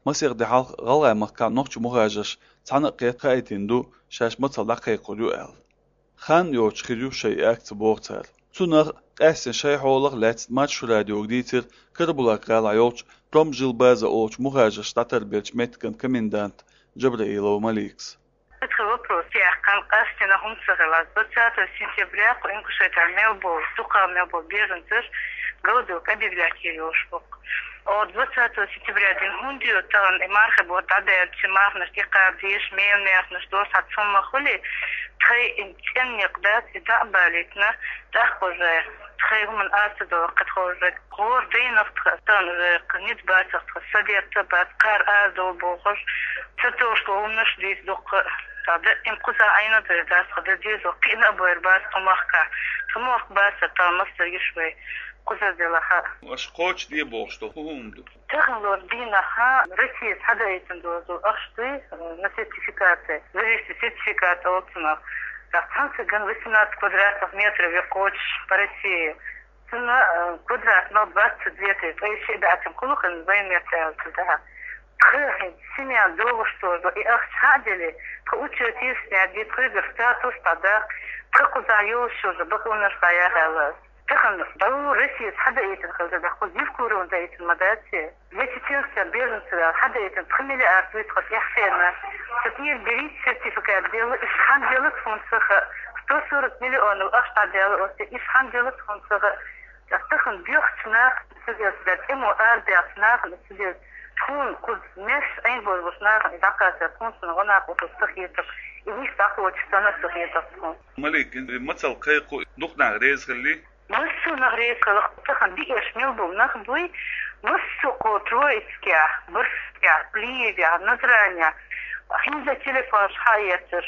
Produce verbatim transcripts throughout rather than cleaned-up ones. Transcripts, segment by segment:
Масех де хьалха ГӀалгӀай махкахь нохчий мухӀажарш цхьана а кхетта хаийтина ду, шаьш мацалла дӀакхайкхор ю аьлла. Хан йоцуш хир ю шайн акци, боху цара. Цунах къаьстина шайн хьолах лаьцна Маршо радиога дийцира Карабулак-гӀалахь йолчу Промжилбаза олучу мухӀажарш дӀатарбеллачу меттиган комендант Джабраилова Маликас. Цхьа вопрос яьккхина, къаьстина хӀума ца хилла. Двадцатого сентября кху Ингушетехь мел болу, дукха мел болу беженцаш голодовка объявлять йина йолуш бу. О, двадцатого сентября дина хӀунда йо тахана и мархи бутт дӀадаьлча, марханаш тӀекхаба дезаш, мел марханаш доцу, хьан цхьа хӀума хуьлий, тхайн и цӀена некъ дац, и дӀа а балийтина, тӀаккха уже тхайн хӀуманна аса ца довла кхин тхо уже. ГӀора дайнах тхан, тхан уже кхин ницкъ бацах тхан, садетта бац, кхара ара довла бохуш, ца товш ловнаш дийца дуккха. Тхьа даим кхуза Ӏайна а дайр дац, тхан дан дезо кхиъна а бойр бац тхо махкахь. Тхо мохк бац, тхан мастар йиш вай кхуза делахьа. Аша кхочу де бохуш ду, хӀун хӀума ду? Тахана лор дийнахьа Россия схьадаийтина дозу ахча дуй, э, на сертификация. Лиричный сертификат олу цунах. Так, цхьаьна циган восемнадцать квадратных метров я кхочуш по России. Цуьнан, э, квадратный двадцать две тысячи, ткъе ши баьццан кхуллукъина вайн меттаьллачу тӀехь. Тхан хӀинца семья догӀуш тоже и ахча хьа а делли, тхан учёт йира снять де, тхоьгара статус дӀадаккха, тхан кхузахь йолуш уже бакъонаш дӀаяхьа аьлла. Тахана дӀо Россия схьадаийтина хилча, тӀаккха кху Евкуровна даийтина ма дац те? Для чеченских беженцев аьлла хьадаийтина, пхи миллиард вуй тхан тӀехь хенна. Ца тӀера берийта сертификат делла, иштта хьан делла тхуна ца хаьа, сто сорок миллионов ахча дӀадаьлла оцу, иштта хьан делла тхуна ца хаьа. Ас тахана боьхачу нахана ца деза, дар тӀамо арабаьхча нахана ца деза. Тхуна кхуза меш Ӏийна бозбуш нахана и дӀакхачар тхуна санна гӀо накъосталла ца хетар. И вуьш дӀакхочуш санна ца хетар тхуна. Малик, и мацалла кхайкхо дукха нах реза хилли? Массо а нах реза хилла, тахана биъеш мел болу нах буй, массо а кху Троицкехь, Барсукехь, Плиевехь, Назранехь, хӀинца телефонаш хьаэцаш.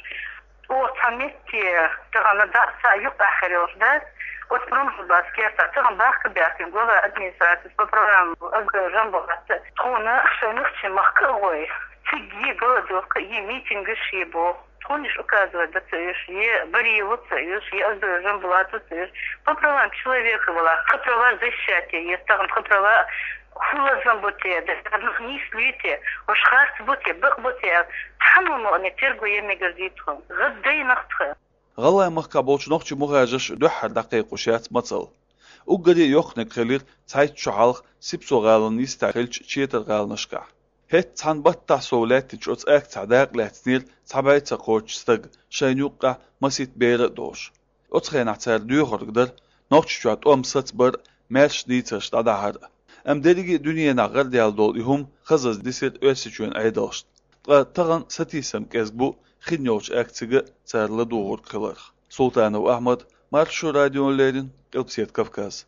Оха цхьа метте, тахана дӀа а, схьа а юккъехь хир йолуш дац, оцу Промжилбаза кертахь, тахана бахка баьхкина глава администрации по правам Азбар Жамбулата. Тхуна шайн нохчийн махка а гӀой, цига е голодовка, е митингаш е боху. Тхуна уьш указывать дан ца оьшу, е Бариеву ца оьшу, е Азбар Жамбулату ца оьшу. По правам человека вала, тхан права защищать е, е тахана тхан права хӀун лазам бу те, дернах нийслуьй те, уьш харц бу те, бакъ бу те аьлла, цхьаммо а ма аьллина, терго ян мегар дий тхуна. ГӀаддайнах тхан. ГӀалгӀай махкахь болчу нохчийн мухӀажарша дуьххьара дӀакхайкхош яц мацалла. Уггаре а йоккханиг хилира цхьайтта шо хьалха Сипсо-гӀалин йистехь хиллачу Четар-гӀаланашкахь. ХӀетта цхьана баттахь сов лаьттинчу оцу акцехь дакъа лаьцнера цхьа бӀе ца кхоччу стаг, шайна юккъехь масийтта бер а долуш. Оцу хенахь цара доьхург дара Нохчийчохь тӀом сацбар а, маьрша дийцарш дӀадахьар а. Амма дерриге а дуьненахь гӀардаьлла долу и хӀума хазаза дисира Оьрсийчоьнан Ӏедалшна. Ткъа тахана сатийсам кӀезиг бу хин йолчу акцига цара ладугӀург хиларх. Султанов Ахьмад, Маршо радиона леррина, Къилбаседа Кавказ.